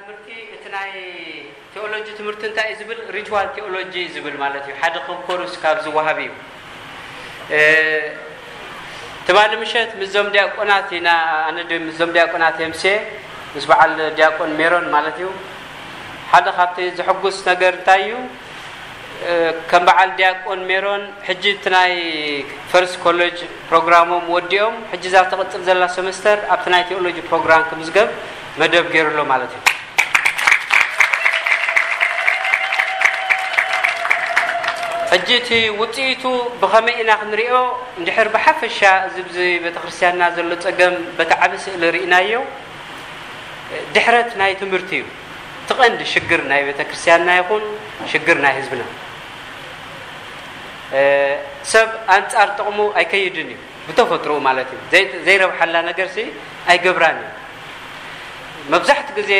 ትምህርቲ፣ እቲ ናይ ቴዎሎጂ ትምህርቲ እንታይ እዩ ዝብል? ሪቹዋል ቴዎሎጂ እዩ ዝብል ማለት እዩ። ሓደ ኮርስ ካብ ዝወሃብ እዩ። እ፣ ትማሊ ምሸት ምስዞም ዲያቆናት ኢና፣ ኣነ ድ-፣ ምስዞም ዲያቆናት የምሴ፣ ምስ በዓል ዲያቆን ሜሮን ማለት እዩ። ሓደ ካብቲ ዘሐጉስ ነገር እንታይ እዩ? እ፣ ከም በዓል ዲያቆን ሜሮን ሕጂ እቲ ናይ ፈርስት ኮሌጅ ፕሮግራሞም ወዲኦም፣ ሕጂ እዛ ትቕጽል ዘላ ሰመስተር ኣብቲ ናይ ቴዎሎጂ ፕሮግራም ክምዝገብ መደብ ገይሩ ኣሎ ማለት እዩ። ሕጂ እቲ ውጽኢቱ ብኸመይ ኢና ክንሪኦ? እንድሕር ብሓፈሻ እዚ ብዚ ቤተክርስትያንና ዘሎ ጸገም በቲ ዓቢ ስእሊ ርኢናዮ፣ ድሕረት ናይ ትምህርቲ እዩ። እቲ ቀንዲ ሽግር ናይ ቤተክርስትያንና ይኹን ሽግር ናይ ህዝብና። እ፣ ሰብ ኣንጻር ጥቕሙ ኣይከይድን እዩ፣ ብተፈጥሮኡ ማለት እዩ። ዘይ-፣ ዘይረብሓላ ነገርሲ ኣይገብራን እዩ። መብዛሕትኡ ግዜ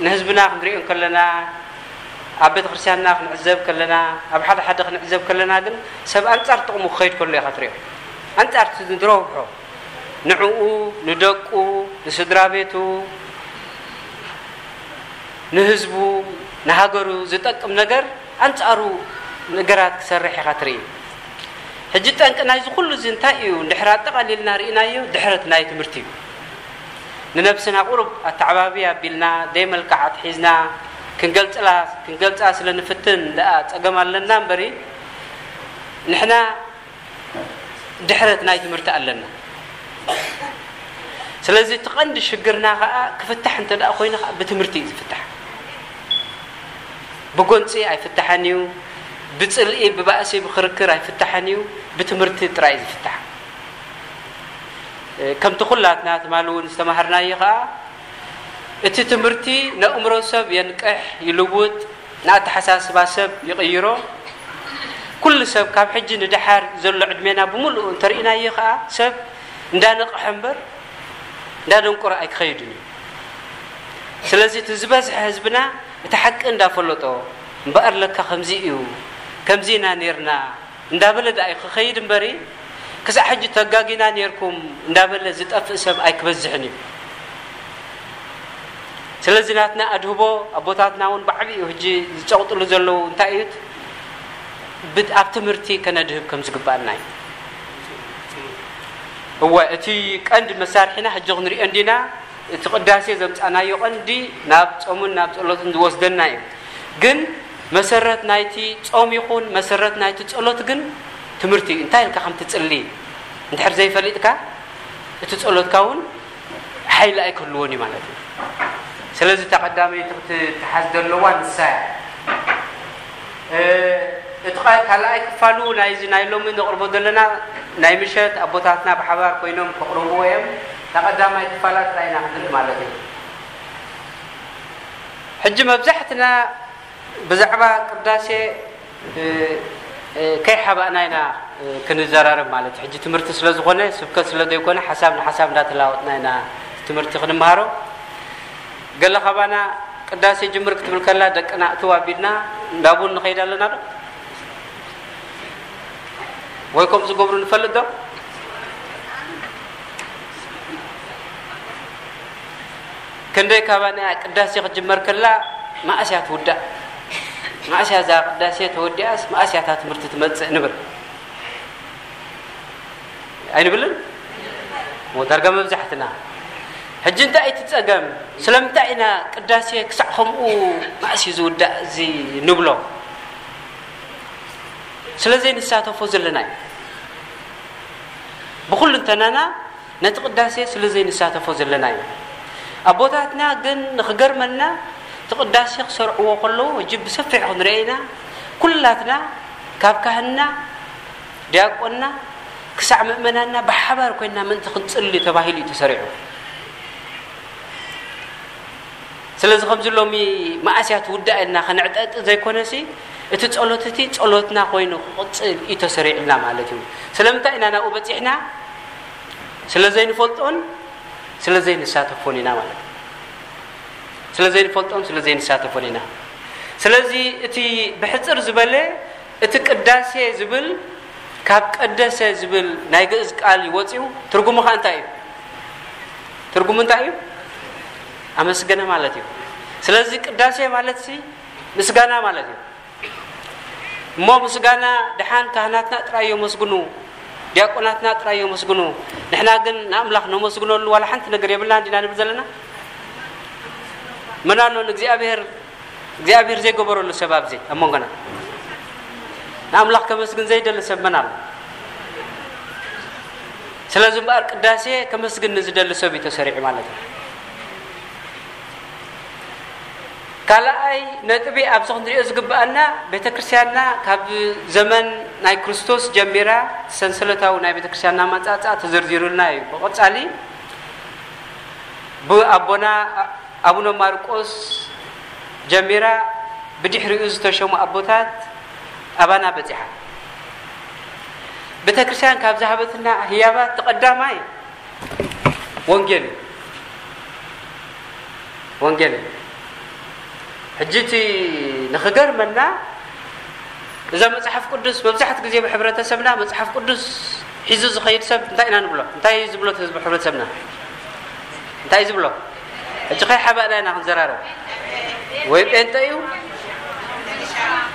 ንህዝብና ክንሪኦ ከለና፣ ኣብ ቤተክርስትያንና ክንዕዘብ ከለና፣ ኣብ ሓደ ሓደ ክንዕዘብ ከለና ግን ሰብ ኣንጻር ጥቕሙ ክኸይድ ከሎ ኢኻ ትሪኦ። ኣንጻር እቲ ዝረብሖ፣ ንዕኡ፣ ንደቁ፣ ንስድራ ቤቱ፣ ንህዝቡ፣ ንሃገሩ ዝጠቅም ነገር ኣንጻሩ ነገራት ክሰርሕ ኢኻ ትርኢ። ሕጂ ጠንቂ ናይዚ ኩሉ እዚ እንታይ እዩ? እንድሕር ኣጠቓሊልና ርኢናዮ፣ ድሕረት ናይ ትምህርቲ እዩ። ንነብስና ቁሩብ ኣተዓባቢ ኣቢልና፣ ደይ መልክዓት ሒዝና ክንገልጽላ፣ ክንገልጻ ስለ ንፍትን ደኣ ጸገም ኣለና እምበሪ፣ ንሕና ድሕረት ናይ ትምህርቲ ኣለና። ስለዚ እቲ ቀንዲ ሽግርና ኸኣ ክፍታሕ እንተ ደኣ ኮይኑ ኸኣ ብትምህርቲ እዩ ዝፍታሕ። ብጎንጺ ኣይፍታሕን እዩ። ብጽልኢ፣ ብባእሲ፣ ብክርክር ኣይፍታሕን እዩ። ብትምህርቲ ጥራይ እዩ ዝፍታሕ። እ፣ ከምቲ ኩላትና ትማሊ እውን ዝተማሃርናዮ ኸኣ፣ እቲ ትምህርቲ ነእምሮ ሰብ የንቅሕ፣ ይልውጥ፣ ንኣተሓሳስባ ሰብ ይቕይሮ። ኩሉ ሰብ ካብ ሕጂ ንደሓር ዘሎ ዕድሜና ብምሉኡ እንተርኢናዮ ኸኣ፣ ሰብ እንዳነቕሐ እምበር እንዳደንቆረ ኣይክኸይድን እዩ። ስለዚ እቲ ዝበዝሐ ህዝብና እቲ ሓቂ እንዳፈለጦ፣ እምበኣር ለካ ከምዚ እዩ፣ ከምዚ ኢና ኔርና እንዳበለ ደኣ እዩ ክኸይድ እምበሪ፣ ክሳዕ ሕጂ ተጋጊና ኔርኩም እንዳበለ ዝጠፍእ ሰብ ኣይክበዝሕን እዩ። ስለዚ ናትና ኣድህቦ፣ ኣቦታትና እውን ብዓቢኡ ሕጂ ዝጸቕጥሉ ዘለዉ እንታይ እዩ? ብት-፣ ኣብ ትምህርቲ ከነድህብ ከም ዝግባኣና እዩ። እወ፣ እቲ ቀንዲ መሳርሒና ሕጂ ክንሪኦ እንዲና፣ እቲ ቅዳሴ ዘምጻናዮ ቀንዲ ናብ ጾምን ናብ ጸሎትን ዝወስደና እዩ። ግን መሰረት ናይቲ ጾም ይኹን መሰረት ናይቲ ጸሎት ግን ትምህርቲ እዩ። እንታይ ኢልካ ከም ትጽሊ እንድሕር ዘይፈሊጥካ፣ እቲ ጸሎትካ እውን ሓይሊ ኣይክህልዎን እዩ ማለት እዩ። ስለዚ እታ ቀዳመይቲ ክትተሓዝ ዘለዋ ንሳ እያ። እ፣ እቲ ቃ-፣ ካልኣይ ክፋሉ ናይዚ ናይ ሎሚ ነቕርቦ ዘለና ናይ ምሸት ኣቦታትና ብሓባር ኮይኖም ከቕርብዎ እዮም። እታ ቀዳማይ ክፋላ ጥራይ ኢና ክንርኢ ማለት እዩ። ሕጂ መብዛሕትና ብዛዕባ ቅዳሴ፣ እ፣ እ፣ ከይሓባእና ኢና፣ እ፣ ክንዘራረብ ማለት እዩ። ሕጂ ትምህርቲ ስለ ዝኾነ፣ ስብከት ስለ ዘይኮነ፣ ሓሳብ ንሓሳብ እንዳተለዋወጥና ኢና ትምህርቲ ክንመሃሮ። ገለ ካባና ቅዳሴ ጅምር ክትብል ከላ፣ ደቅና እትው ኣቢልና እንዳ ቡን ንኸይድ ኣለና ዶ? ወይ ከምኡ ዝገብሩ ንፈልጥ ዶ? ክንደይ ካባና ቅዳሴ ክትጅመር ከላ፣ መኣስ እያ ትውዳእ? መኣስ እያ እዛ ቅዳሴ ተወዲኣስ፣ መኣስ እያ እታ ትምህርቲ ትመጽእ ንብል? ኣይንብልን? እሞ ዳርጋ መብዛሕትና። ሕጂ እንታይ እቲ ጸገም? ስለምንታይ ኢና ቅዳሴ ክሳዕ ከምኡ መኣስ እዩ ዝውዳእ እዚ ንብሎ? ስለ ዘይንሳተፎ ዘለና እዩ። ብኹሉ እንተናና ነቲ ቅዳሴ ስለ ዘይንሳተፎ ዘለና እዩ። ኣቦታትና ግን ንኽገርመና እቲ ቅዳሴ ክሰርዕዎ ከለዉ፣ ሕጂ ብሰፊሕ ክንሪኦ ኢና፣ ኩላትና ካብ ካህንና፣ ዲያቆንና ክሳዕ ምእመናንና ብሓባር ኮይንና ምእንቲ ክንጽሊ ተባሂሉ እዩ ተሰሪዑ። ስለዚ ከምዚ ሎሚ መኣስ እያ ትውዳእ ኢልና ከነዕጠጥ ዘይኮነሲ፣ እቲ ጸሎት እቲ ጸሎትና ኮይኑ ክቕጽል እዩ ተሰሪዑልና ማለት እዩ። ስለምንታይ ኢና ናብኡ በጺሕና? ስለ ዘይንፈልጦን ስለ ዘይንሳተፎን ኢና ማለት እዩ። ስለ ዘይንፈልጦን ስለ ዘይንሳተፎን ኢና። ስለዚ እቲ ብሕጽር ዝበለ፣ እቲ ቅዳሴ ዝብል ካብ ቀደሰ ዝብል ናይ ግእዝ ቃል እዩ ወጺኡ። ትርጉሙ ኸኣ እንታይ እዩ? ትርጉሙ እንታይ እዩ? ኣመስገነ ማለት እዩ። ስለዚ ቅዳሴ ማለት ሲ ምስጋና ማለት እዩ። እሞ ምስጋና ደሓን ካህናትና ጥራይ የመስግኑ፣ ዲያቆናትና ጥራይ የመስግኑ። ንሕና ግን ንኣምላኽ ነመስግነሉ ዋላ ሓንቲ ነገር የብልና እንዲና ንብል ዘለና? መን ኣሎ ንእግዚኣብሔር እግዚኣብሔር ዘይገበረሉ ሰብ ኣብዚ ኣብ መንጎና? ንኣምላኽ ከመስግን ዘይደሊ ሰብ መን ኣሎ? ስለዚ እምበኣር ቅዳሴ ከመስግን ንዝደሊ ሰብ እዩ ተሰሪዑ ማለት እዩ። ካልኣይ ነጥቢ ኣብዚ ክንሪኦ ዝግብኣና፣ ቤተ ክርስቲያንና ካብ ዘመን ናይ ክርስቶስ ጀሚራ ሰንሰለታዊ ናይ ቤተ ክርስቲያንና ኣመጻጽኣ ተዘርዚሩልና እዩ። ብቐጻሊ ብኣቦና ኣቡነ ማርቆስ ጀሚራ ብድሕሪኡ ዝተሸሙ ኣቦታት ኣባና በጺሓ። ቤተ ክርስቲያን ካብ ዝሃበትና ህያባት እቲ ቀዳማይ ወንጌል እዩ። ወንጌል እዩ። ሕጂ እቲ ንኽገርመና፣ እዛ መጽሓፍ ቅዱስ መብዛሕትኡ ግዜ ብሕብረተሰብና መጽሓፍ ቅዱስ ሒዙ ዝኸይድ ሰብ እንታይ ኢና ንብሎ? እንታይ እዩ ዝብሎ እቲ ህዝቢ ሕብረተሰብና? እንታይ እዩ ዝብሎ? ሕጂ ከይሓባእና ኢና ክንዘራረብ። ወይ ጴንጠ እዩ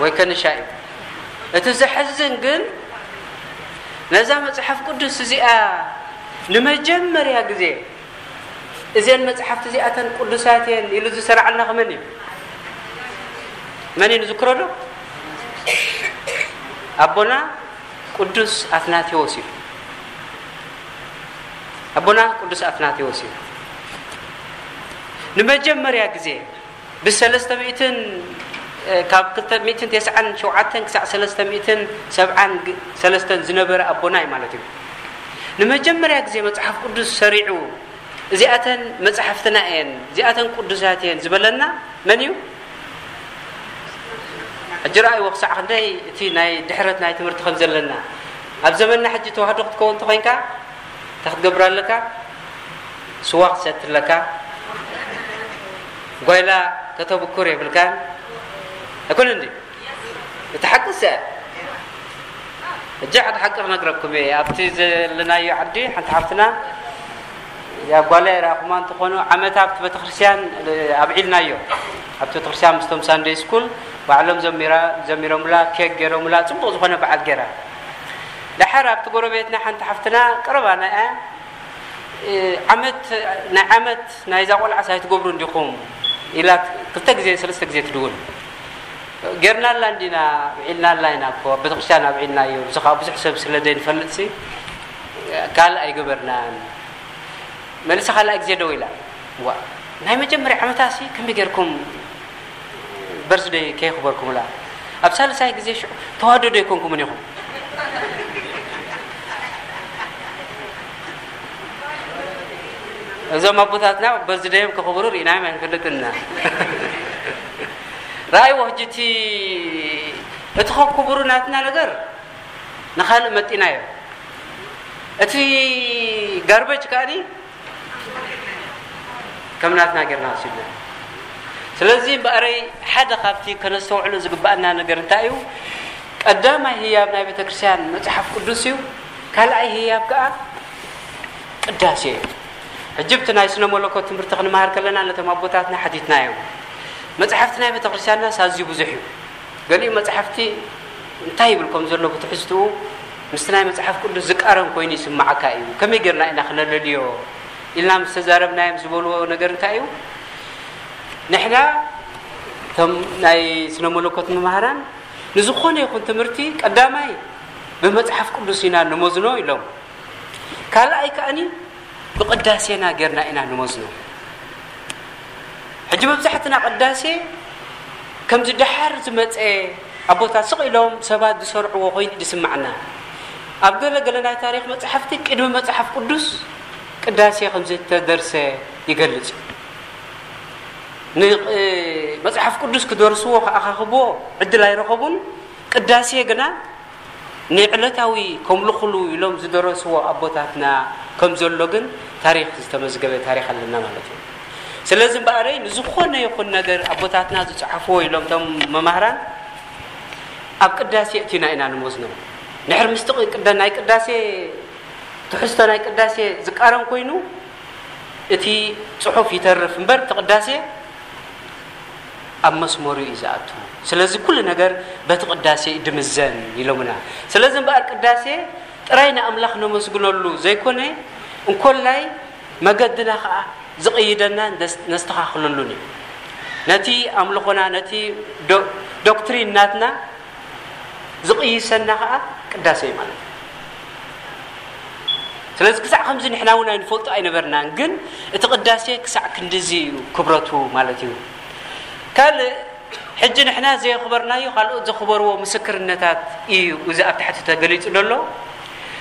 ወይ ከንሻ እዩ። እቲ ዘሕዝን ግን ነዛ መጽሓፍ ቅዱስ እዚኣ ንመጀመርያ ግዜ እዘን መጽሓፍቲ እዚኣተን ቅዱሳት እየን ኢሉ ዝሰራዓልና ከመን እዩ? መን እዩ ንዝክሮ ዶ? ኣቦና ቅዱስ ኣትናቴዎስ እዩ። ኣቦና ቅዱስ ኣትናቴዎስ እዩ። ንመጀመርያ ግዜ ብሰለስተ ሚእትን፣ እ፣ ካብ ክልተ ሚእትን ተስዓን ሸውዓተን ክሳዕ ሰለስተ ሚእትን ሰብዓን ግ-፣ ሰለስተን ዝነበረ ኣቦና እዩ ማለት እዩ። ንመጀመርያ ግዜ መጽሓፍ ቅዱስ ሰሪዑ፣ "እዚኣተን መጽሓፍትና እየን፣ እዚኣተን ቅዱሳት እየን" ዝበለና መን እዩ? ሕጂ ረኣይዎ ክሳዕ ክንደይ እቲ ናይ ድሕረት ናይ ትምህርቲ ከም ዘለና። ኣብ ዘመንና ሕጂ ተዋህዶ ክትከውን እንተኾይንካ፣ እንታይ ክትገብር ኣለካ? ስዋ ክትሰቲ ኣለካ። ጓይላ ከተብኩር የብልካን። ኣይኮነን ድዩ? እቲ ሓቂ እሱ እያ። ሕጂ ሓደ ሓቂ ክነግረኩም እየ። ኣብቲ ዘለናዮ ዓዲ ሓንቲ ሓፍትና፣ ያ ጓላ ይረኣኹማ እንተኾኑ፣ ዓመት ኣብቲ ቤተክርስትያን ኣብዒልናዮ። ኣብቲ ቤተክርስትያን ምስቶም ሳንደይ ስኩል ባዕሎም ዘሚራ-፣ ዘሚሮምላ፣ ኬክ ገይሮምላ፣ ጽቡቕ ዝኾነ በዓል ገይራ። ደሓር ኣብቲ ጎረቤትና ሓንቲ ሓፍትና ቀረባና እያ። እ፣ ዓመት፣ ናይ ዓመት ናይዛ ቆልዓስ ኣይትገብሩን ዲኹም? ኢላ ክልተ ግዜ፣ ሰለስተ ግዜ ትድውል። ጌርናላ እንዲና፣ ውዒልናላ ኢና እኮ፣ ኣብ ቤተክርስትያን ኣብዒልናዮ። እዚ ኸኣ ብዙሕ ሰብ ስለ ዘይንፈልጥሲ፣ ካልእ ኣይገበርናን። መልሳ ካልኣይ ግዜ ደው ኢላ። ዋ፣ ናይ መጀመርያ ዓመታሲ ከመይ ጌርኩም በርዝደይ ከየኽበርኩምላ? ኣብ ሳልሳይ ግዜ ሽዑ ተዋህዶ ዶ ኣይኮንኩምን ኢኹም? እዞም ኣቦታትና በርዝደዮም ከኽብሩ ርኢናዮም ኣይንፈልጥና። ረኣይዎ ሕጂ እቲ፣ እቲ ከክብሩ ናትና ነገር ንኻልእ መጢናዮ። እቲ ጋርበጅ ከኣኒ ከም ናትና ጌርና ወሲድና። ስለዚ እምበኣረይ ሓደ ካብቲ ከነስተውዕሎ ዝግባኣና ነገር እንታይ እዩ? ቀዳማይ ህያብ ናይ ቤተክርስትያን መጽሓፍ ቅዱስ እዩ። ካልኣይ ህያብ ከኣ ቅዳሴ እዩ። ሕጂ ብቲ ናይ ስነ መለኮት ትምህርቲ ክንመሃር ከለና ነቶም ኣቦታትና ሓቲትናዮም። መጽሓፍቲ ናይ ቤተክርስትያንናስ ኣዝዩ ብዙሕ እዩ። ገሊኡ መጽሓፍቲ እንታይ ይብል ከም ዘሎ ብትሕዝትኡ ምስቲ ናይ መጽሓፍ ቅዱስ ዝቃረን ኮይኑ ይስምዓካ እዩ። ከመይ ጌርና ኢና ክነለልዮ ኢልና ምስ ተዛረብናዮም ዝበልዎ ነገር እንታይ እዩ? ንሕና እቶም ናይ ስነ መለኮት መማህራን ንዝኾነ ይኹን ትምህርቲ ቀዳማይ ብመጽሓፍ ቅዱስ ኢና ንመዝኖ ኢሎም። ካልኣይ ከኣኒ ብቅዳሴና ጌርና ኢና ንመዝኖ። ሕጂ መብዛሕትና ቅዳሴ ከምዚ ደሓር ዝመጸ ኣቦታት ስቕ ኢሎም ሰባት ዝሰርዕዎ ኮይኑ ዝስምዓና። ኣብ ገለ ገለ ናይ ታሪኽ መጻሕፍቲ ቅድሚ መጽሓፍ ቅዱስ ቅዳሴ ከም ዝተደርሰ ይገልጽ። ን-፣ እ፣ መጽሓፍ ቅዱስ ክደርስዎ ክኣኻኽብዎ ዕድል ኣይረኸቡን። ቅዳሴ ግና ንዕለታዊ ከምልኹሉ ኢሎም ዝደረስዎ ኣቦታትና ከም ዘሎ ግን ታሪኽ ዝተመዝገበ ታሪኽ ኣለና ማለት እዩ። ስለዚ እምበኣረይ ንዝኾነ ይኹን ነገር ኣቦታትና ዝጸሓፍዎ ኢሎም እቶም መማህራን ኣብ ቅዳሴ እቲና ኢና ንወስኖ። ንሕር ምስቲ ቅዳ-፣ ናይ ቅዳሴ ትሕዝቶ ናይ ቅዳሴ ዝቃረን ኮይኑ እቲ ጽሑፍ ይተርፍ እምበር እቲ ቅዳሴ ኣብ መስመሩ እዩ ዝኣቱ። ስለዚ ኩሉ ነገር በቲ ቅዳሴ እዩ ድምዘን ኢሎምና። ስለዚ እምበኣር ቅዳሴ ጥራይ ንኣምላኽ ነመስግነሉ ዘይኮነ፣ እንኮላይ መገድና ኸዓ ዝቕይደና ነስ-፣ ነስተኻኽለሉን እዩ። ነቲ ኣምልኾና፣ ነቲ ዶ-፣ ዶክትሪን ናትና ዝቕይሰና ኸዓ ቅዳሴ እዩ ማለት እዩ። ስለዚ ክሳዕ ከምዚ ንሕና እውን ኣይንፈልጦ ኣይነበርናን፣ ግን እቲ ቅዳሴ ክሳዕ ክንድዚ እዩ ክብረቱ ማለት እዩ። ካልእ ሕጂ ንሕና ዘየኽበርናዮ ካልኦት ዘኽበርዎ ምስክርነታት እዩ እዚ ኣብ ታሕቲ ተገሊጹ ዘሎ።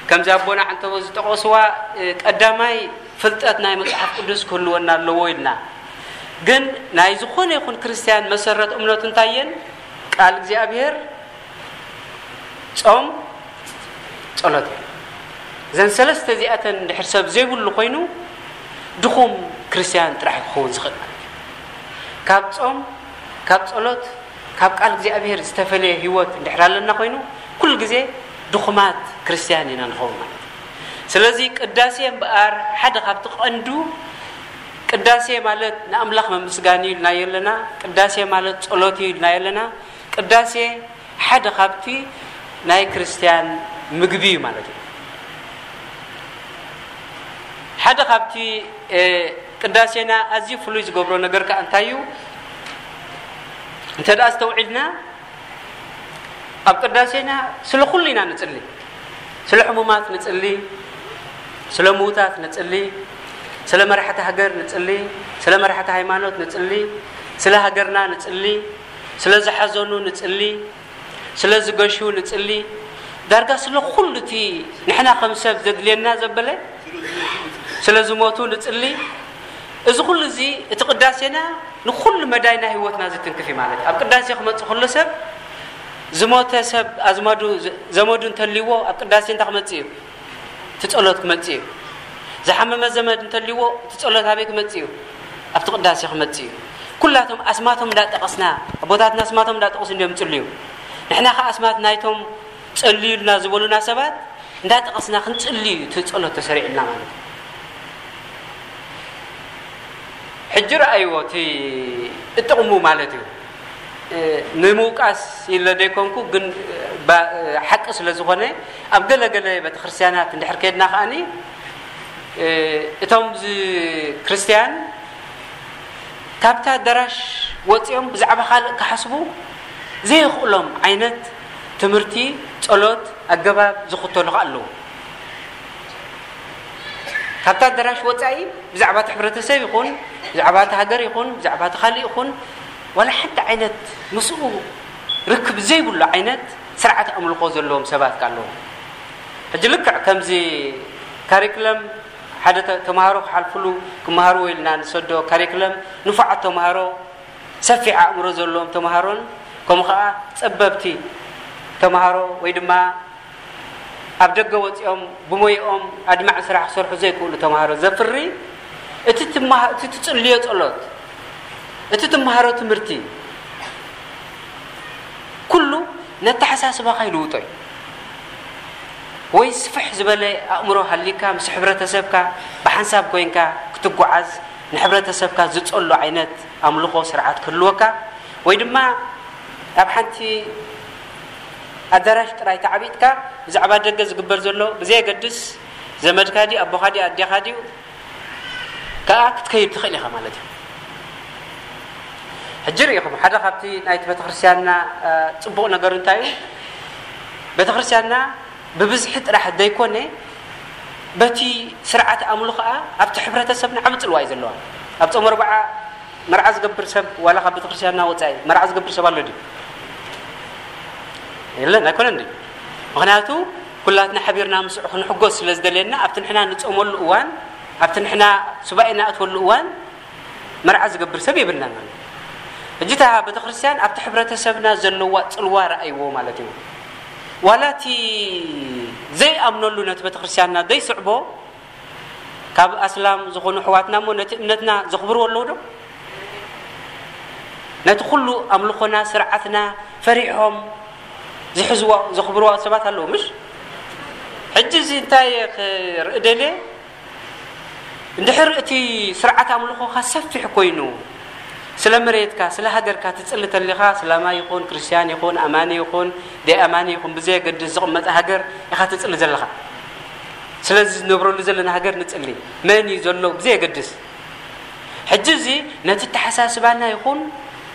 ከምዚ ኣቦና ዓንተቦ ዝጠቐስዋ፣ እ፣ ቀዳማይ ፍልጠት ናይ መጽሓፍ ቅዱስ ክህልወና ኣለዎ ኢልና። ግን ናይ ዝኾነ ይኹን ክርስትያን መሰረት እምነቱ እንታይ እየን? ቃል እግዚኣብሔር፣ ጾም፣ ጸሎት እየን። እዘን ሰለስተ እዚኣተን እንድሕር ሰብ ዘይብሉ ኮይኑ፣ ድኹም ክርስትያን ጥራሕ ክኸውን ዝኽእል ማለት እዩ። ካብ ጾም፣ ካብ ጸሎት፣ ካብ ቃል እግዚኣብሔር ዝተፈለየ ህይወት እንድሕር ኣለና ኮይኑ፣ ኩሉ ግዜ ድኹማት ክርስትያን ኢና ንኸውን ማለት እዩ። ስለዚ ቅዳሴ እምበኣር ሓደ ካብቲ ቀንዱ፣ ቅዳሴ ማለት ንኣምላኽ መምስጋን እዩ ኢልና የለና፣ ቅዳሴ ማለት ጸሎት እዩ ኢልና የለና። ቅዳሴ ሓደ ካብቲ ናይ ክርስትያን ምግቢ እዩ ማለት እዩ። ሓደ ካብቲ፣ እ፣ ቅዳሴና ኣዝዩ ፍሉይ ዝገብሮ ነገር ከኣ እንታይ እዩ? እንተ ደኣ ኣስተውዒልና፣ ኣብ ቅዳሴና ስለ ኩሉ ኢና ንጽሊ። ስለ ሕሙማት ንጽሊ፣ ስለ ምዉታት ንጽሊ፣ ስለ መራሕቲ ሃገር ንጽሊ፣ ስለ መራሕቲ ሃይማኖት ንጽሊ፣ ስለ ሃገርና ንጽሊ፣ ስለ ዝሓዘኑ ንጽሊ፣ ስለ ዝገሹ ንጽሊ። ዳርጋ ስለ ኩሉ እቲ ንሕና ከም ሰብ ዘድልየና ዘበለ ስለ ዝሞቱ ንጽሊ። እዚ ኩሉ እዚ፣ እቲ ቅዳሴና ንኩሉ መዳይ ናይ ህይወትና ዝትንክፍ እዩ ማለት እዩ። ኣብ ቅዳሴ ክመጽእ ከሎ ሰብ ዝሞተ ሰብ ኣዝማዱ ዘ-፣ ዘመዱ እንተልይዎ ኣብ ቅዳሴ እንታይ ክመጽእ እዩ? እቲ ጸሎት ክመጽእ እዩ። ዝሓመመ ዘመድ እንተልይዎ እቲ ጸሎት ኣበይ ክመጽእ እዩ? ኣብቲ ቅዳሴ ክመጽእ እዩ። ኩላቶም ኣስማቶም እንዳጠቐስና፣ ኣቦታትና ኣስማቶም እንዳጠቐሱ እንዲዮም ይጽልዩ። ንሕና ኸዓ ኣስማት ናይቶም ጸልዩልና ዝበሉና ሰባት እንዳጠቐስና ክንጽሊ እዩ እቲ ጸሎት ተሰሪዕልና ማለት እዩ። ሕጂ ረኣይዎ እቲ ጥቕሙ ማለት እዩ። እ፣ ንምውቃስ ኢለ ዘይኮንኩ፣ ግን፣ እ፣ ባ-፣ እ፣ ሓቂ ስለ ዝኾነ፣ ኣብ ገለ ገለ ቤተክርስትያናት እንድሕር ከድና ከኣኒ፣ እ፣ እቶም ዝ-፣ ክርስትያን ካብታ ኣዳራሽ ወጺኦም ብዛዕባ ካልእ ክሓስቡ ዘይኽእሎም ዓይነት ትምህርቲ፣ ጸሎት፣ ኣገባብ ዝኽተሉ ከኣ ኣለዉ። ካብታ ኣዳራሽ ወጻኢ ብዛዕባ እቲ ሕብረተሰብ ይኹን፣ ብዛዕባ እቲ ሃገር ይኹን፣ ብዛዕባ እቲ ካልእ ይኹን፣ ዋላ ሓንቲ ዓይነት ምስኡ ርክብ ዘይብሉ ዓይነት ስርዓት ኣምልኾ ዘለዎም ሰባት ከኣ ኣለዉ። ሕጂ ልክዕ ከምዚ ካሪክለም ሓደ ተ-፣ ተምሃሮ ክሓልፍሉ፣ ክመሃርዎ ኢልና ንሰዶ ካሪክለም ንፉዓት ተምሃሮ፣ ሰፊሕ ኣእምሮ ዘለዎም ተምሃሮን፣ ከምኡ ኸዓ ጸበብቲ ተምሃሮ ወይ ድማ ኣብ ደገ ወጺኦም ብሞይኦም ኣድማዒ ስራሕ ክሰርሑ ዘይክእሉ ተምሃሮ ዘፍሪ፣ እቲ ትመሃ-፣ እቲ ትጽልዮ ጸሎት፣ እቲ ትመሃሮ ትምህርቲ፣ ኩሉ ነተሓሳስባኻ ይልውጦ እዩ። ወይ ስፍሕ ዝበለ ኣእምሮ ሃሊካ ምስ ሕብረተሰብካ ብሓንሳብ ኮይንካ ክትጓዓዝ፣ ንሕብረተሰብካ ዝጸሎ ዓይነት ኣምልኾ ስርዓት ክህልወካ፣ ወይ ድማ ኣብ ሓንቲ ኣዳራሽ ጥራይ ተዓቢጥካ ብዛዕባ ደገ ዝግበር ዘሎ ብዘየገድስ፣ ዘመድካ ድዩ፣ ኣቦኻ ድዩ፣ ኣዴኻ ድዩ፣ ከኣ ክትከይድ ትኽእል ኢኻ ማለት እዩ። ሕጂ ርኢኹም፣ ሓደ ካብቲ ናይቲ ቤተክርስትያንና፣ እ፣ ጽቡቕ ነገር እንታይ እዩ? ቤተክርስትያንና ብብዝሒ ጥራሕ ዘይኮነ፣ በቲ ስርዓት ኣምልኾኣ ኣብቲ ሕብረተሰብና ዓቢ ጽልዋ እዩ ዘለዋ። ኣብ ጾም ኣርብዓ መርዓ ዝገብር ሰብ፣ ዋላ ካብ ቤተክርስትያንና ወጻኢ መርዓ ዝገብር ሰብ ኣሎ ድዩ? የለን፣ ኣይኮነን ድዩ? ምኽንያቱ ኩላትና ሓቢርና ምስኡ ክንሕጎስ ስለ ዝደልየና፣ ኣብቲ ንሕና ንጾመሉ እዋን፣ ኣብቲ ንሕና ሱባኤ ንኣትወሉ እዋን መርዓ ዝገብር ሰብ የብልናን ማለት እዩ። ሕጂ እታ ቤተክርስትያን ኣብቲ ሕብረተሰብና ዘለዋ ጽልዋ ረኣይዎ ማለት እዩ። ዋላ እቲ ዘይኣምነሉ ነቲ ቤተክርስትያንና ዘይስዕቦ፣ ካብ ኣስላም ዝኾኑ ኣሕዋትና እሞ ነቲ እምነትና ዘኽብርዎ ኣለዉ ዶ? ነቲ ኩሉ ኣምልኾና፣ ስርዓትና ፈሪሖም ዝሕዝዎ፣ ዘኽብርዎ ሰባት ኣለዉ፣ ምሽ? ሕጂ እዚ እንታይ ክርኢ ደልየ? እንድሕር እቲ ስርዓት ኣምልኾኻ ሰፊሕ ኮይኑ፣ ስለ መሬትካ፣ ስለ ሃገርካ ትጽሊ ተሊኻ፣ ስላማይ ይኹን፣ ክርስትያን ይኹን፣ ኣማኒ ይኹን፣ ደይ ኣማኒ ይኹን፣ ብዘየገድስ ዝቕመጠ ሃገር ኢኻ ትጽሊ ዘለኻ። ስለዚ ዝነብረሉ ዘለና ሃገር ንጽሊ። መን እዩ ዘሎ ብዘየገድስ። ሕጂ እዚ ነቲ ኣተሓሳስባና ይኹን፣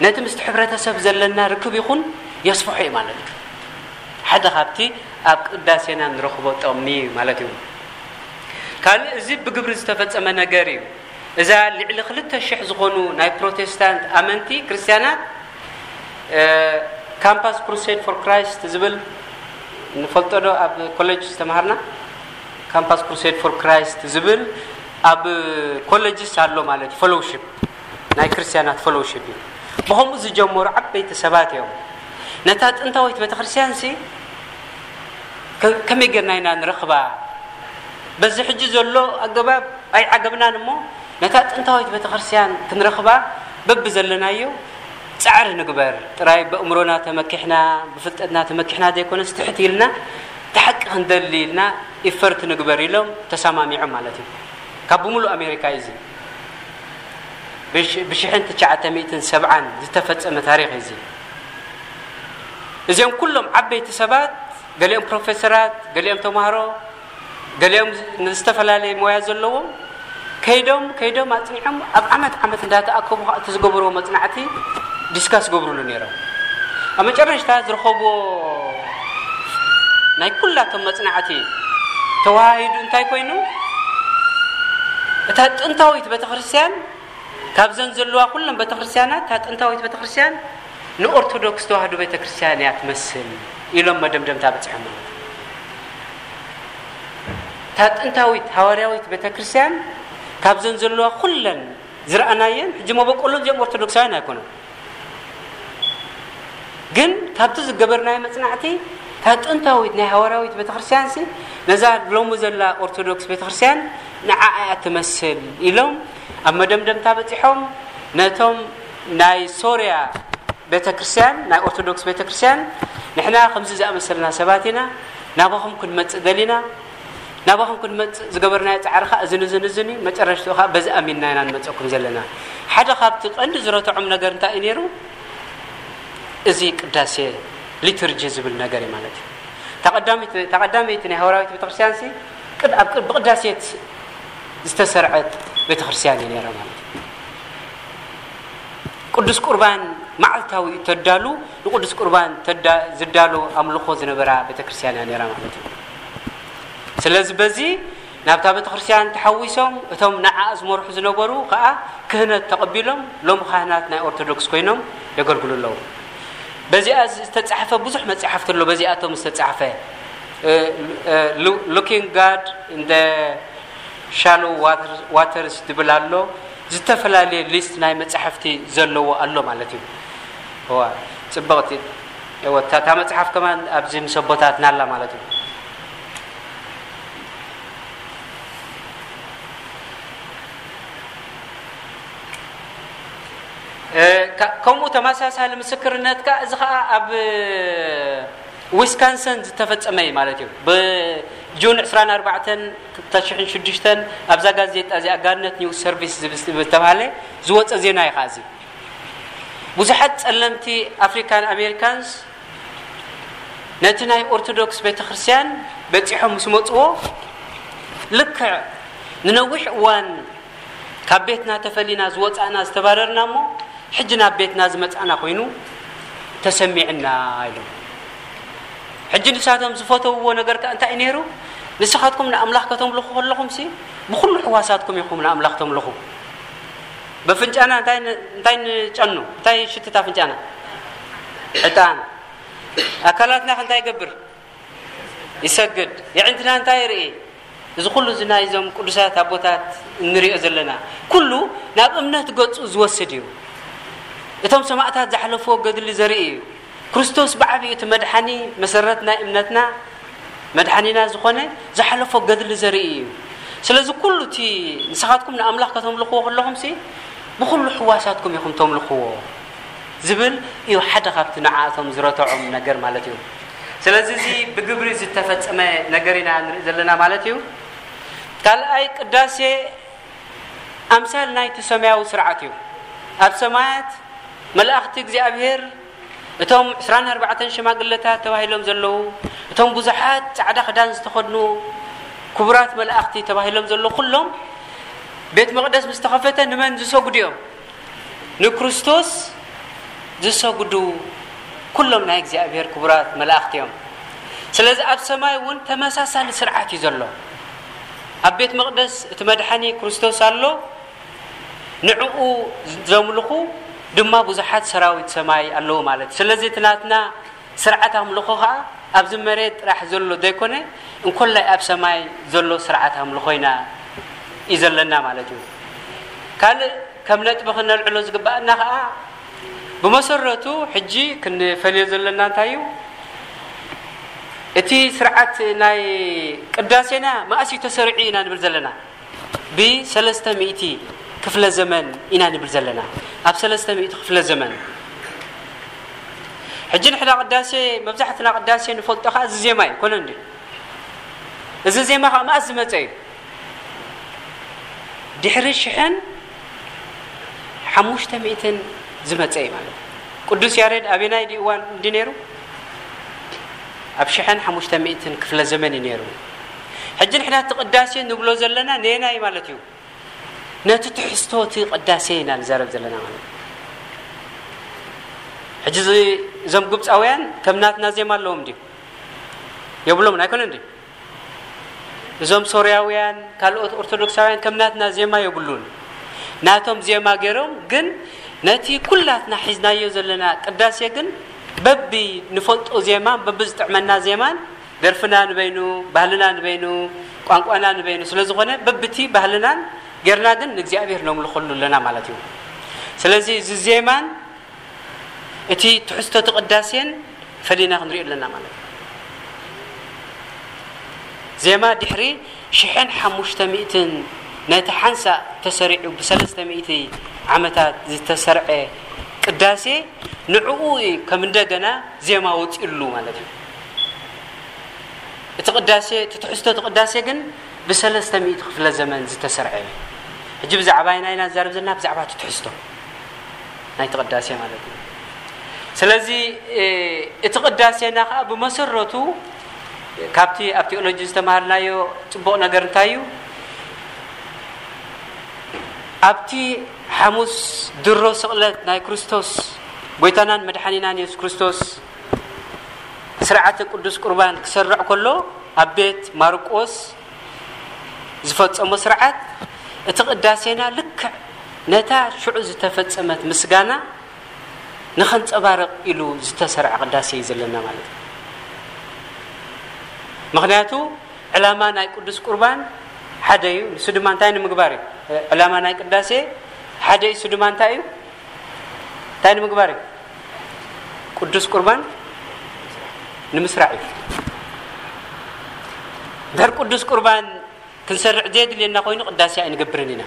ነቲ ምስቲ ሕብረተሰብ ዘለና ርክብ ይኹን የስፍሖ እዩ ማለት እዩ። ሓደ ካብቲ ኣብ ቅዳሴና ንረኽቦ ጥቕሚ እዩ ማለት እዩ። ካልእ እዚ ብግብሪ ዝተፈጸመ ነገር እዩ። እዛ ልዕሊ ክልተ ሽሕ ዝኾኑ ናይ ፕሮቴስታንት ኣመንቲ ክርስትያናት፣ እ፣ ካምፓስ ክሩሴድ ፎር ክራይስት ዝብል ንፈልጦ ዶ? ኣብ ኮሌጅ ዝተምሃርና ካምፓስ ክሩሴድ ፎር ክራይስት ዝብል ኣብ ኮሌጅስ ኣሎ ማለት እዩ። ፌሎውሺፕ፣ ናይ ክርስትያናት ፌሎውሺፕ እዩ። ብኸምኡ ዝጀመሩ ዓበይቲ ሰባት እዮም። ነታ ጥንታዊት ቤተክርስትያን ሲ ከ-፣ ከመይ ጌርና ኢና ንረኽባ? በዚ ሕጂ ዘሎ ኣገባብ ኣይዓገብናን እሞ፣ ነታ ጥንታዊት ቤተክርስትያን ክንረኽባ በብዘለናዮ ጻዕሪ ንግበር። ጥራይ በእምሮና ተመኪሕና፣ ብፍልጠትና ተመኪሕና ዘይኮነስ፣ ትሕት ኢልና፣ እቲ ሓቂ ክንደሊ ኢልና ኢፈርት ንግበር ኢሎም ተሰማሚዖም ማለት እዩ። ካብ ብምሉእ ኣሜሪካ እዩ እዚ። ብሽ-፣ ብሽሕን ትሽዓተ ሚእትን ሰብዓን ዝተፈጸመ ታሪኽ እዩ እዚ። እዚኦም ኩሎም ዓበይቲ ሰባት፣ ገሊኦም ፕሮፌሰራት፣ ገሊኦም ተማሃሮ፣ ገሊኦም ዝ-፣ ንዝተፈላለየ ሞያ ዘለዎም፣ ከይዶም፣ ከይዶም ኣጽኒዖም፣ ኣብ ዓመት፣ ዓመት እንዳተኣከቡ ኸኣ እቲ ዝገብርዎ መጽናዕቲ ዲስካስ ዝገብሩሉ ነይሮም። ኣብ መጨረሽታ ዝረኸብዎ ናይ ኩላቶም መጽናዕቲ ተወሃሂዱ እንታይ ኮይኑ፣ እታ ጥንታዊት ቤተክርስትያን፣ ካብዘን ዘለዋ ኩለን ቤተክርስትያናት፣ እታ ጥንታዊት ቤተክርስትያን ንኦርቶዶክስ ተዋህዶ ቤተክርስትያን እያ ትመስል ኢሎም መደምደምታ በጺሖም ማለት እዩ። እታ ጥንታዊት ሃዋርያዊት ቤተክርስትያን ካብዘን ዘለዋ ኩለን ዝረኣናየን፣ ሕጂ መበቆሎም እዚኦም ኦርቶዶክሳውያን ኣይኮኑን። ግን ካብቲ ዝገበርናዮ መጽናዕቲ፣ እታ ጥንታዊት ናይ ሃዋርያዊት ቤተክርስትያንሲ፣ ነዛ ሎሚ ዘላ ኦርቶዶክስ ቤተክርስትያን ንዓኣ እያ ትመስል ኢሎም ኣብ መደምደምታ በጺሖም። ነቶም ናይ ሶርያ ቤተክርስትያን፣ ናይ ኦርቶዶክስ ቤተክርስትያን፣ ንሕና ከምዚ ዝኣመሰልና ሰባት ኢና፣ ናባኹም ክንመጽእ ደሊና፣ ናባኹም ክንመጽእ ዝገበርናዮ ጻዕሪ ኸኣ እዝን እዝን እዝን እዩ። መጨረሽትኡ ኸኣ በዚ ኣሚንና ኢና ንመጸኩም ዘለና። ሓደ ካብቲ ቀንዲ ዝረትዖም ነገር እንታይ እዩ ነይሩ? እዚ ቅዳሴ ሊቱርጂ ዝብል ነገር እዩ ማለት እዩ። እታ ቀዳመይቲ፣ እታ ቀዳመይቲ ናይ ሃዋርያዊት ቤተክርስትያንሲ ቅድ-፣ ኣብ ቅድ-፣ ብቅዳሴት ዝተሰርዐት ቤተክርስትያን እያ ነይራ ማለት እዩ። ቅዱስ ቁርባን መዓልታዊ እዩ ተዳሉ፣ ንቅዱስ ቁርባን ተዳ-፣ ዝዳሎ ኣምልኾ ዝነበራ ቤተክርስትያን እያ ነይራ ማለት እዩ። ስለዚ በዚ ናብታ ቤተክርስትያን ተሓዊሶም፣ እቶም ንዓኣ ዝመርሑ ዝነበሩ ከኣ ክህነት ተቐቢሎም፣ ሎም ካህናት ናይ ኦርቶዶክስ ኮይኖም የገልግሉ ኣለዉ። በዚኣ ዝተጻሕፈ ብዙሕ መጻሕፍቲ ኣሎ፣ በዚኣቶም ዝተጻሕፈ፣ እ፣ እ፣ Lo-፣ Looking God in the Shallow Water-፣ Waters ዝብል ኣሎ። ዝተፈላለየ ሊስት ናይ መጻሕፍቲ ዘለዎ ኣሎ ማለት እዩ። እዋ፣ ጽብቕቲ። እወ፣ እታ፣ እታ መጽሓፍ ከማን ኣብዚ ምስ ኣቦታትና ኣላ ማለት እዩ። እ፣ ከ-፣ ከምኡ ተመሳሳሊ ምስክርነት ከኣ፣ እዚ ከኣ ኣብ ዊስካንሰን ዝተፈጸመ እዩ ማለት እዩ። ብጁን ዕስራን ኣርባዕተን ክልተ ሽሕን ሽዱሽተን ኣብዛ ጋዜጣ እዚኣ፣ ጋርነት ኒውስ ሰርቪስ ዝብል ዝተባህለ ዝወጸ ዜና እዩ ከኣ እዚ። ብዙሓት ጸለምቲ ኣፍሪካን ኣሜሪካንስ ነቲ ናይ ኦርቶዶክስ ቤተክርስትያን በጺሖም ምስ መጽዎ፣ ልክዕ ንነዊሕ እዋን ካብ ቤትና ተፈሊና ዝወጻእና ዝተባረርና እሞ፣ ሕጂ ናብ ቤትና ዝመጻእና ኮይኑ ተሰሚዕና ኢሎም። ሕጂ ንሳቶም ዝፈተውዎ ነገር ከ እንታይ እዩ ነይሩ? ንስኻትኩም ንኣምላኽ ከተምልኹ ከለኹምሲ፣ ብኹሉ ሕዋሳትኩም ኢኹም ንኣምላኽ ተምልኹ። በፍንጫና እንታይ ን-፣ እንታይ ንጨኑ? እንታይ ሽትት ኣፍንጫና? ዕጣን። ኣካላትና ከ እንታይ ይገብር? ይሰግድ። የዕንትና እንታይ ይርኢ? እዚ ኩሉ እዚ ናይዞም ቅዱሳት ኣቦታት እንሪኦ ዘለና፣ ኩሉ ናብ እምነት ገጹ ዝወስድ እዩ። እቶም ሰማእታት ዝሓለፍዎ ገድሊ ዘርኢ እዩ። ክርስቶስ ብዓቢኡ እቲ መድሓኒ፣ መሰረት ናይ እምነትና፣ መድሓኒና ዝኾነ ዝሓለፎ ገድሊ ዘርኢ እዩ። ስለዚ ኩሉ እቲ ንስኻትኩም ንኣምላኽ ከተምልኽዎ ከለኹምሲ፣ ብኹሉ ሕዋሳትኩም ኢኹም ተምልኽዎ ዝብል እዩ ሓደ ካብቲ ንዓኣቶም ዝረትዖም ነገር ማለት እዩ። ስለዚ እዚ ብግብሪ ዝተፈጸመ ነገር ኢና ንርኢ ዘለና ማለት እዩ። ካልኣይ ቅዳሴ ኣምሳል ናይቲ ሰማያዊ ስርዓት እዩ። ኣብ ሰማያት መላእኽቲ እግዚኣብሔር፣ እቶም ዕስራን ኣርባዕተን ሽማግለታት ተባሂሎም ዘለዉ፣ እቶም ብዙሓት ጻዕዳ ክዳን ዝተኸድኑ ክቡራት መላእኽቲ ተባሂሎም ዘለዉ ኩሎም፣ ቤት መቕደስ ምስ ተኸፈተ ንመን ዝሰግዱ እዮም? ንክርስቶስ ዝሰግዱ ኩሎም ናይ እግዚኣብሔር ክቡራት መላእኽቲ እዮም። ስለዚ ኣብ ሰማይ እውን ተመሳሳሊ ስርዓት እዩ ዘሎ። ኣብ ቤት መቕደስ እቲ መድሓኒ ክርስቶስ ኣሎ፣ ንዕኡ ዘምልኹ ድማ ብዙሓት ሰራዊት ሰማይ ኣለዉ ማለት እዩ። ስለዚ እቲ ናትና ስርዓት ኣምልኾ ኸዓ ኣብዚ መሬት ጥራሕ ዘሎ ዘይኮነ፣ እንኮላይ ኣብ ሰማይ ዘሎ ስርዓት ኣምልኾ ኢና እዩ ዘለና ማለት እዩ። ካልእ ከም ነጥቢ ክነልዕሎ ዝግባኣና ኸዓ፣ ብመሰረቱ ሕጂ ክንፈልዮ ዘለና እንታይ እዩ? እቲ ስርዓት ናይ ቅዳሴና መኣስ እዩ ተሰሪዑ ኢና ንብል ዘለና? ብሰለስተ ሚእቲ ክፍለ ዘመን ኢና ንብል ዘለና። ኣብ ሰለስተ ሚእቲ ክፍለ ዘመን። ሕጂ ንሕና ቅዳሴ፣ መብዛሕትና ቅዳሴ ንፈልጦ ኸዓ እዚ ዜማ እዩ፣ ኮነ እንዲ? እዚ ዜማ ኸዓ መኣስ ዝመጸ እዩ? ድሕሪ ሽሕን ሓሙሽተ ሚእትን ዝመጸ እዩ ማለት እዩ። ቅዱስ ያሬድ ኣበናይ ድዩ እዋን እንዲ ነይሩ? ኣብ ሽሕን ሓሙሽተ ሚእትን ክፍለ ዘመን እዩ ነይሩ። ሕጂ ንሕና እቲ ቅዳሴ ንብሎ ዘለና ነየናይ ማለት እዩ? ነቲ ትሕዝቶ እቲ ቅዳሴ ኢና ንዛረብ ዘለና ማለት እዩ። ሕጂ እዚ፣ እዞም ግብፃውያን ከም ናትና ዜማ ኣለዎም ድዩ? የብሎምን፣ ኣይኮነን ድዩ? እዞም ሶርያውያን፣ ካልኦት ኦርቶዶክሳውያን ከም ናትና ዜማ የብሉን። ናቶም ዜማ ገይሮም፣ ግን ነቲ ኩላትና ሒዝናዮ ዘለና ቅዳሴ ግን በቢ ንፈልጦ ዜማን በቢ ዝጥዕመና ዜማን፣ ደርፍና ንበይኑ፣ ባህልና ንበይኑ፣ ቋንቋና ንበይኑ ስለ ዝኾነ፣ በብቲ ባህልናን ጌርና ግን ንእግዚኣብሔር ነምልኸሉ ኣለና ማለት እዩ። ስለዚ እዚ ዜማን እቲ ትሕዝቶ እቲ ቅዳሴን ፈሊና ክንሪኦ ኣለና ማለት እዩ። ዜማ ድሕሪ ሽሕን ሓሙሽተ ሚእትን ነቲ ሓንሳእ ተሰሪዑ ብሰለስተ ሚእቲ ዓመታት ዝተሰርዐ ቅዳሴ፣ ንዕኡ እዩ ከም እንደገና ዜማ ወፂኡሉ ማለት እዩ። እቲ ቅዳሴ፣ እቲ ትሕዝቶ እቲ ቅዳሴ ግን ብሰለስተ ሚእቲ ክፍለ ዘመን ዝተሰርዐ እዩ። ሕጂ ብዛዕባ ኣይና ኢና ንዛረብ ዘለና፣ ብዛዕባ እቲ ትሕዝቶ ናይቲ ቅዳሴ ማለት እዩ። ስለዚ፣ እ፣ እቲ ቅዳሴና ኸዓ ብመሰረቱ ካብቲ ኣብ ቴዎሎጂ ዝተማሃርናዮ ጽቡቕ ነገር እንታይ እዩ? ኣብቲ ሓሙስ ድሮ ስቕለት ናይ ክርስቶስ፣ ጎይታናን መድሓኒናን የሱስ ክርስቶስ፣ ስርዓተ ቅዱስ ቁርባን ክሰርዕ ከሎ፣ ኣብ ቤት ማርቆስ ዝፈጸሞ ስርዓት፣ እቲ ቅዳሴና ልክዕ ነታ ሽዑ ዝተፈጸመት ምስጋና ንኸንጸባርቕ ኢሉ ዝተሰርዐ ቅዳሴ እዩ ዘለና ማለት እዩ። ምኽንያቱ ዕላማ ናይ ቅዱስ ቁርባን ሓደ እዩ። ንሱ ድማ እንታይ ንምግባር እዩ? ዕላማ ናይ ቅዳሴ ሓደ እዩ። እሱ ድማ እንታይ እዩ? እንታይ ንምግባር እዩ? ቅዱስ ቁርባን ንምስራዕ እዩ። እንድሕር ቅዱስ ቁርባን ክንሰርዕ ዘየድልየና ኮይኑ ቅዳሴ ኣይንገብርን ኢና።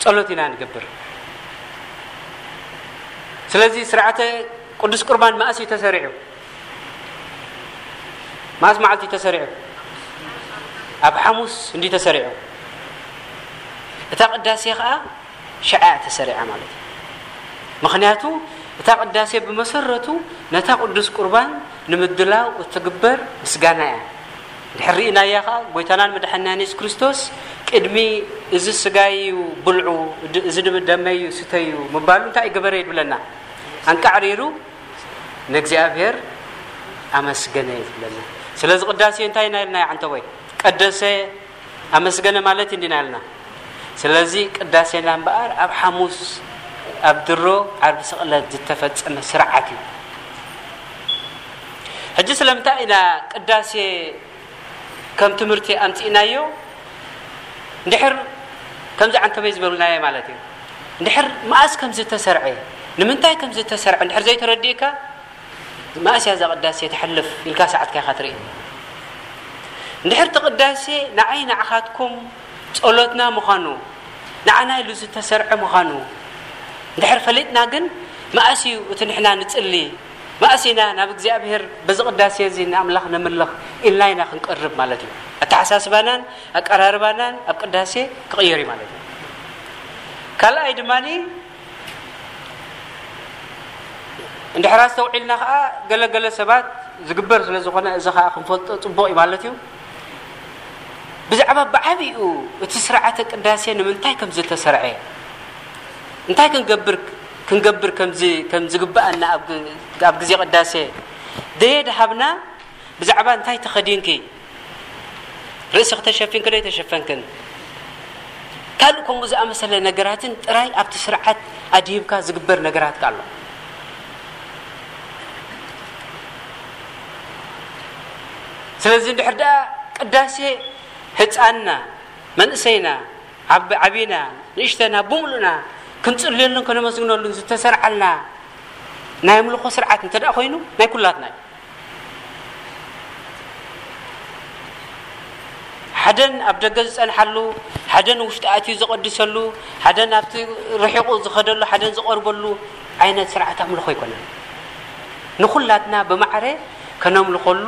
ጸሎት ኢና ንገብር። ስለዚ ስርዓተ ቅዱስ ቁርባን መኣስ እዩ ተሰሪዑ? መኣስ መዓልቲ እዩ ተሰሪዑ? ኣብ ሓሙስ እንዲ ተሰሪዑ። እታ ቅዳሴ ኸዓ ሽዓ እያ ተሰሪዓ ማለት እዩ። ምኽንያቱ እታ ቅዳሴ ብመሰረቱ ነታ ቅዱስ ቁርባን ንምድላው እትግበር ምስጋና እያ። እንድሕር ርኢናያ ኸዓ፣ ጎይታናን መድሓኒናን የሱስ ክርስቶስ ቅድሚ "እዚ ስጋይ እዩ፣ ብልዑ፣ ድ-፣ እዚ ድማ ደመይ እዩ፣ ስተዩ" ምባሉ እንታይ ገበረ እዩ ዝብለና? ኣንቃዕሪሩ ንእግዚኣብሔር ኣመስገነ እዩ ዝብለና። ስለዚ ቅዳሴ እንታይ ኢና ኢልና፣ ዓንተቦይ? ቀደሰ፣ ኣመስገነ ማለት እንዲና ኢልና። ስለዚ ቅዳሴና እምበኣር ኣብ ሓሙስ፣ ኣብ ድሮ ዓርቢ ስቕለት ዝተፈጸመ ስርዓት እዩ። ሕጂ ስለምንታይ ኢና ቅዳሴ ከም ትምህርቲ ኣምጺእናዮ? እንድሕር ከምዚ ዓንተቦይ ዝበሉናዮ ማለት እዩ። እንድሕር መኣስ ከም ዝተሰርዐ፣ ንምንታይ ከም ዝተሰርዐ እንድሕር ዘይተረዲእካ፣ መኣስ እያ እዛ ቅዳሴ ትሓልፍ ኢልካ ሰዓትካ ኢኻ ትርኢ። እንድሕር እቲ ቅዳሴ ንዓይ ንዓኻትኩም ጸሎትና ምዃኑ፣ ንዓና ኢሉ ዝተሰርዐ ምዃኑ እንድሕር ፈሊጥና ግን፣ መኣስ እዩ እቲ ንሕና ንጽሊ፣ መኣስ ኢና ናብ እግዚኣብሔር በዚ ቅዳሴ እዚ ንኣምላኽ ነምልኽ ኢልና ኢና ክንቀርብ ማለት እዩ። ኣተሓሳስባናን ኣቀራርባናን ኣብ ቅዳሴ ክቕየር እዩ ማለት እዩ። ካልኣይ ድማ እንድሕር ኣስተውዒልና ከዓ ገለገለ ሰባት ዝግበር ስለ ዝኾነ እዚ ከዓ ክንፈልጦ ፅቡቕ እዩ ማለት እዩ። ብዛዕባ ብዓብኡ እቲ ስርዓተ ቅዳሴ ንምንታይ ከም ዝተሰርዐ እንታይ ክንገብር ክንገብር ከም ዝ- ከም ዝግብኣና ኣብ ግ- ኣብ ግዜ ቅዳሴ ደየ ድሃብና ብዛዕባ እንታይ ተኸዲንኪ ርእሲ ክተሸፊንክ ዶ ኣይተሸፈንክን ካልእ ከምኡ ዝኣመሰለ ነገራትን ጥራይ ኣብቲ ስርዓት ኣድሂብካ ዝግበር ነገራት ኣሎ። ስለዚ እንድሕር ደኣ ቅዳሴ ህፃንና መንእሰይና ዓብ- ዓቢና ንእሽተና ብምሉእና ክንፅልየሉን ከነመስግነሉን ዝተሰርዓልና ናይ ኣምልኾ ስርዓት እንተ ደኣ ኮይኑ ናይ ኩላትና እዩ። ሓደን ኣብ ደገ ዝጸንሓሉ፣ ሓደን ውሽጢ ኣትዩ ዘቐድሰሉ፣ ሓደን ኣብቲ ርሒቑ ዝኸደሉ፣ ሓደን ዝቐርበሉ ዓይነት ስርዓት ኣምልኾ ኣይኮነን። ንኹላትና ብማዕረ ከነምልኾሉ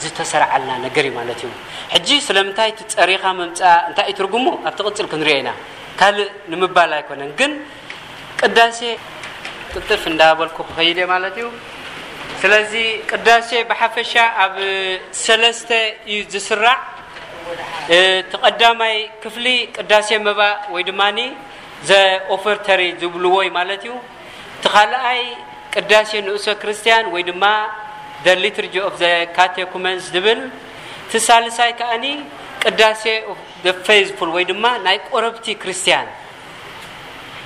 ዝተሰርዓልና ነገር እዩ ማለት እዩ። ሕጂ ስለምንታይ እቲ ጸሪኻ ምምጻእ እንታይ እዩ ትርጉሙ ኣብቲ ቅጽል ክንሪኦ ኢና። ካልእ ንምባል ኣይኮነን ግን ቅዳሴ ቅልጥፍ እንዳበልኩ ክኸይድ እየ ማለት እዩ። ስለዚ ቅዳሴ ብሓፈሻ ኣብ ሰለስተ እዩ ዝስራዕ። እቲ ቀዳማይ ክፍሊ ቅዳሴ መባእ ወይ ድማ ዘ ኦፈርተሪ ዝብልዎ እዩ ማለት እዩ። እቲ ካልኣይ ቅዳሴ ንኡሰ ክርስቲያን ወይ ድማ the liturgy of the catechumens ዝብል፣ እቲ ሳልሳይ ከኣኒ ቅዳሴ of the faithful ወይ ድማ ናይ ቆረብቲ ክርስቲያን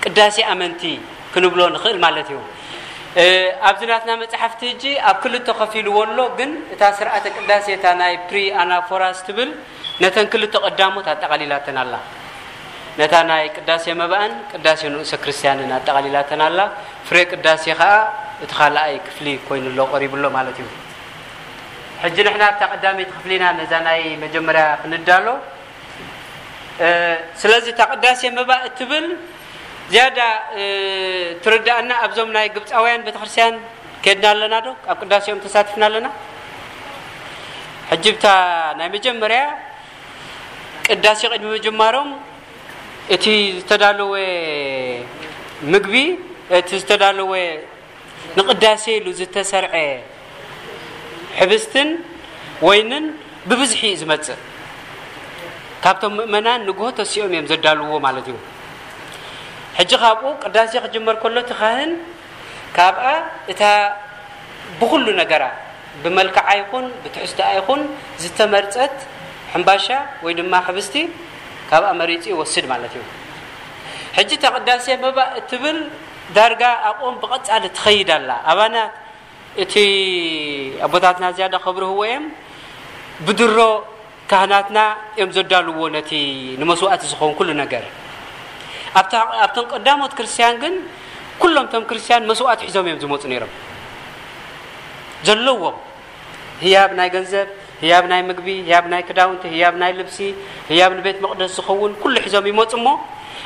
ቅዳሴ ኣመንቲ ክንብሎ ንኽእል ማለት እዩ። ኣብዚ ናትና መፅሓፍቲ እጂ ኣብ ክልተ ከፊልዎ ኣሎ፣ ግን እታ ስርዓተ ቅዳሴ እታ ናይ ፕሪ ኣናፎራስ ትብል ነተን ክልተ ቀዳሞት ኣጠቓሊላተን ኣላ። ነታ ናይ ቅዳሴ መባእን ቅዳሴ ንኡሰ ክርስቲያንን ኣጠቓሊላተን ኣላ። ፍሬ ቅዳሴ ከዓ እቲ ካልኣይ ክፍሊ ኮይኑ ኣሎ፣ ቀሪቡ ኣሎ ማለት እዩ። ሕጂ ንሕና ኣብታ ቀዳመይቲ ክፍሊና ነዛ ናይ መጀመርያ ክንዳሎ። ስለዚ እታ ቅዳሴ መባእ እትብል ዝያዳ ትርዳእና ኣብዞም ናይ ግብፃውያን ቤተክርስትያን ከድና ኣለና ዶ? ኣብ ቅዳሴኦም ተሳትፍና ኣለና? ሕጂ ብታ ናይ መጀመርያ ቅዳሴ ቅድሚ ምጅማሮም እቲ ዝተዳለወ ምግቢ፣ እቲ ዝተዳለወ ንቅዳሴ ኢሉ ዝተሰርዐ ሕብስትን ወይንን ብብዝሒ እዩ ዝመጽእ። ካብቶም ምእመናን ንግሆ ተሲኦም እዮም ዘዳልውዎ ማለት እዩ። ሕጂ ካብኡ ቅዳሴ ክጅመር ከሎ እቲ ካህን ካብኣ እታ ብኹሉ ነገራ ብመልክዓ ይኹን ብትሕዝቶኣ ይኹን ዝተመርጸት ሕምባሻ ወይ ድማ ሕብስቲ ካብኣ መሪጹ ይወስድ ማለት እዩ። ሕጂ እታ ቅዳሴ መባእ እትብል ዳርጋ ኣብኦም ብቐጻሊ ትኸይድ ኣላ። ኣባና እቲ ኣቦታትና ዝያዳ ከብርህዎ እዮም። ብድሮ ካህናትና እዮም ዘዳልዎ ነቲ ንመስዋእቲ ዝኸውን ኩሉ ነገር። ኣብታ ኣብቶም ቀዳሞት ክርስትያን ግን ኩሎም እቶም ክርስትያን መስዋእቲ ሒዞም እዮም ዝመፁ ነይሮም። ዘለዎም ህያብ ናይ ገንዘብ፣ ህያብ ናይ ምግቢ፣ ህያብ ናይ ክዳውንቲ፣ ህያብ ናይ ልብሲ፣ ህያብ ንቤት መቕደስ ዝኸውን ኩሉ ሒዞም ይመፁ እሞ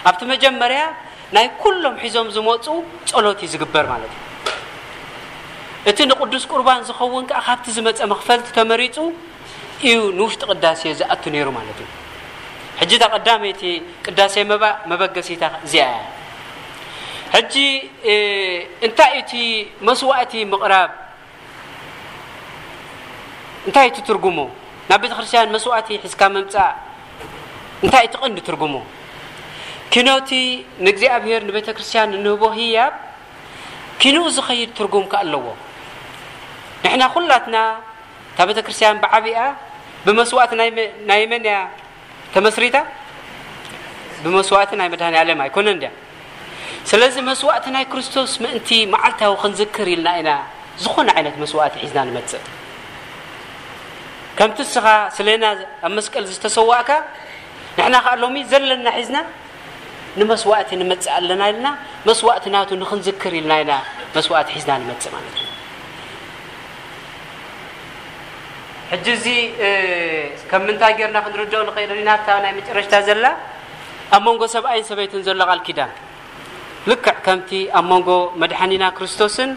ኣብቲ መጀመርያ ናይ ኩሎም ሒዞም ዝመፁ ጸሎት እዩ ዝግበር ማለት እዩ። እቲ ንቅዱስ ቁርባን ዝኸውን ከዓ ካብቲ ዝመፀ መኽፈልቲ ተመሪፁ እዩ ንውሽጢ ቅዳሴ ዝኣቱ ነይሩ ማለት እዩ። ሕጂ እታ ቀዳመይቲ ቅዳሴ መባእ መበገሲታ እዚኣ እያ። ሕጂ እንታይ እዩ እቲ መስዋእቲ ምቕራብ? እንታይ እቲ ትርጉሙ? ናብ ቤተ ክርስቲያን መስዋእቲ ሒዝካ ምምፃእ እንታይ እቲ ቀንዲ ትርጉሙ? ኪኖቲ ንእግዚኣብሔር ንቤተ ክርስቲያን እንህቦ ህያብ ኪንኡ ዝኸይድ ትርጉም ከ ኣለዎ። ንሕና ኩላትና እታ ቤተ ክርስቲያን ብዓቢኣ ብመስዋእቲ ናይ መ- ናይ መን እያ ተመስሪታ? ብመስዋእቲ ናይ መድሃኒ ዓለም ኣይኮነን ድያ? ስለዚ መስዋእቲ ናይ ክርስቶስ ምእንቲ መዓልታዊ ክንዝክር ኢልና ኢና ዝኾነ ዓይነት መስዋእቲ ሒዝና ንመፅእ። ከምቲ እስኻ ስለና ኣብ መስቀል ዝተሰዋእካ ንሕና ከዓ ሎሚ ዘለና ሒዝና ንመስዋእቲ ንመፅእ ኣለና ኢልና መስዋእቲ ናቱ ንክንዝክር ኢልና ኢና መስዋእቲ ሒዝና ንመፅእ ማለት እዩ። ሕጂ እዚ ከም ምንታይ ጌርና ክንርድኦ ንኽእል ኢና? እታ ናይ መጨረሽታ ዘላ ኣብ መንጎ ሰብኣይን ሰበይትን ዘሎ ቃል ኪዳን ልክዕ ከምቲ ኣብ መንጎ መድሓኒና ክርስቶስን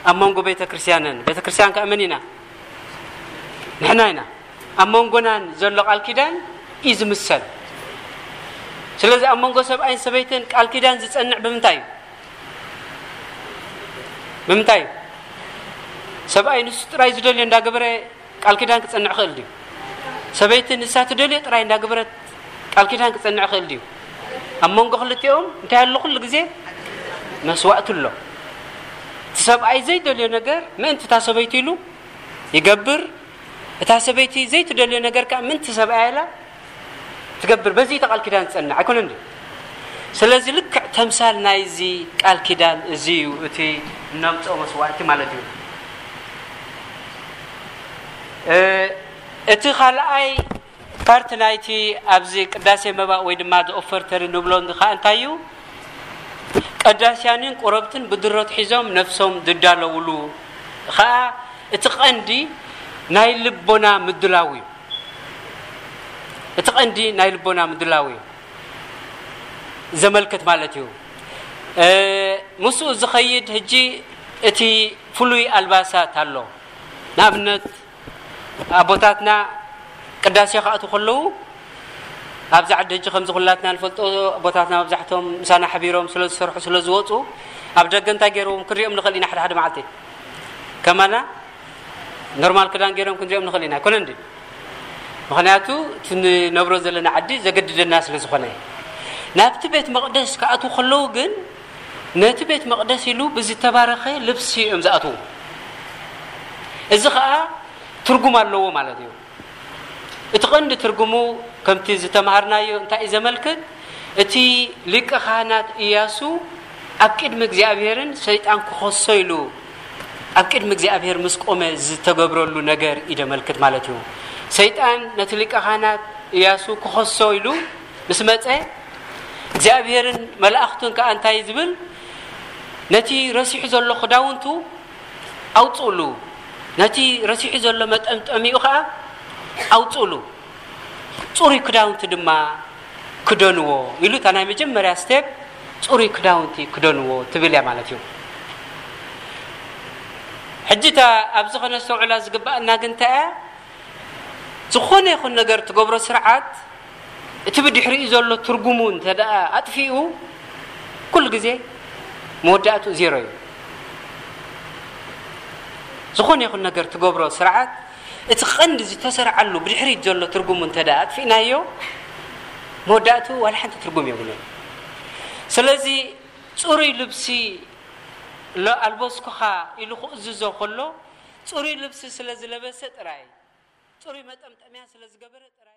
ኣብ መንጎ ቤተ ክርስቲያንን፣ ቤተ ክርስቲያን ከኣ መን ኢና? ንሕና ኢና። ኣብ መንጎናን ዘሎ ቃል ኪዳን እዩ ዝምሰል። ስለዚ ኣብ መንጎ ሰብኣይን ሰበይትን ቃል ኪዳን ዝጸንዕ ብምንታይ እዩ? ብምንታይ እዩ? ሰብኣይ ንሱ ጥራይ ዝደልዮ እንዳገበረ ቃል ኪዳን ክጸንዕ ክእል ድዩ? ሰበይቲ ንሳ ትደልዮ ጥራይ እንዳገበረት ቃል ኪዳን ክጸንዕ ክእል ድዩ? ኣብ መንጎ ክልቲኦም እንታይ ኣሎ? ኩሉ ግዜ መስዋእቲ ኣሎ። እቲ ሰብኣይ ዘይደልዮ ነገር ምእንቲ እታ ሰበይቲ ኢሉ ይገብር። እታ ሰበይቲ ዘይትደልዮ ነገር ከኣ ምእንቲ ሰብኣያ ኢላ ትገብር። በዚ ተቃል ኪዳን ትጸንዕ ኣይኮነን ድዩ? ስለዚ ልክዕ ተምሳል ናይዚ ቃል ኪዳን እዚ እዩ፣ እቲ እነምጽኦ መስዋእቲ ማለት እዩ። እ፣ እቲ ካልኣይ ፓርት ናይቲ ኣብዚ ቅዳሴ መባእ ወይ ድማ ኦፈርተሪ ንብሎ እንዲ ከኣ እንታይ እዩ? ቀዳስያንን ቁረብትን ብድሮት ሒዞም ነፍሶም ዝዳለውሉ ከኣ እቲ ቀንዲ ናይ ልቦና ምድላው እዩ። እቲ ቀንዲ ናይ ልቦና ምድላው እዩ ዘመልክት ማለት እዩ። እ፣ ምስኡ ዝኸይድ ሕጂ እቲ ፍሉይ ኣልባሳት ኣሎ። ንኣብነት ኣቦታትና ቅዳሴ ክኣትዉ ከለዉ ኣብዚ ዓዲ ሕጂ ከምዚ ኩላትና ንፈልጦ ኣቦታትና መብዛሕቶም ምሳና ሓቢሮም ስለ ዝሰርሑ ስለ ዝወፁ ኣብ ደገ እንታይ ገይርዎም ክንሪኦም ንኽእል ኢና። ሓደ ሓደ መዓልቲ ከማና ኖርማል ክዳን ገይሮም ክንሪኦም ንኽእል ኢና። ኣይኮነን ድዩ? ምኽንያቱ እቲ ንነብሮ ዘለና ዓዲ ዘገድደና ስለ ዝኾነ። ናብቲ ቤት መቕደስ ክኣትዉ ከለዉ ግን ነቲ ቤት መቕደስ ኢሉ ብዝተባረኸ ልብሲ እዮም ዝኣትዉ። እዚ ኸኣ ትርጉም ኣለዎ ማለት እዩ። እቲ ቀንዲ ትርጉሙ ከምቲ ዝተማሃርናዮ እንታይ እዩ ዘመልክት? እቲ ሊቀ ካህናት ኢያሱ ኣብ ቅድሚ እግዚኣብሔርን ሰይጣን ክኸሶ ኢሉ ኣብ ቅድሚ እግዚኣብሔር ምስ ቆመ ዝተገብረሉ ነገር እዩ ዘመልክት ማለት እዩ። ሰይጣን ነቲ ሊቀ ካህናት ኢያሱ ክኸሶ ኢሉ ምስ መጸ እግዚኣብሔርን መላእኽቱን ከኣ እንታይ ዝብል? ነቲ ረሲሑ ዘሎ ክዳውንቱ ኣውጽእሉ፣ ነቲ ረሲሑ ዘሎ መጠምጠሚኡ ኸኣ ኣውጽእሉ፣ ጽሩይ ክዳውንቲ ድማ ክደንዎ ኢሉ እታ ናይ መጀመርያ ስቴፕ ጽሩይ ክዳውንቲ ክደንዎ ትብል እያ ማለት እዩ። ሕጂ እታ ኣብዚ ኸነስተውዕላ ዝግባኣና ግን እንታይ እያ? ዝኾነ ይኹን ነገር ትገብሮ ስርዓት እቲ ብድሕሪኡ ዘሎ ትርጉሙ እንተ ደኣ ኣጥፊኡ ኩሉ ግዜ መወዳእትኡ ዜሮ እዩ። ዝኾነ ይኹን ነገር ትገብሮ ስርዓት እቲ ቀንዲ ዝተሰርዓሉ ብድሕሪት ዘሎ ትርጉሙ እንተ ደኣ ኣጥፊእናዮ መወዳእትኡ ዋላ ሓንቲ ትርጉም የብሉን። ስለዚ ጽሩይ ልብሲ ሎ-፣ ኣልበስኩኻ ኢሉ ክእዝዞ ከሎ ጽሩይ ልብሲ ስለ ዝለበሰ ጥራይ፣ ጽሩይ መጠምጠምያ ስለ ዝገበረ ጥራይ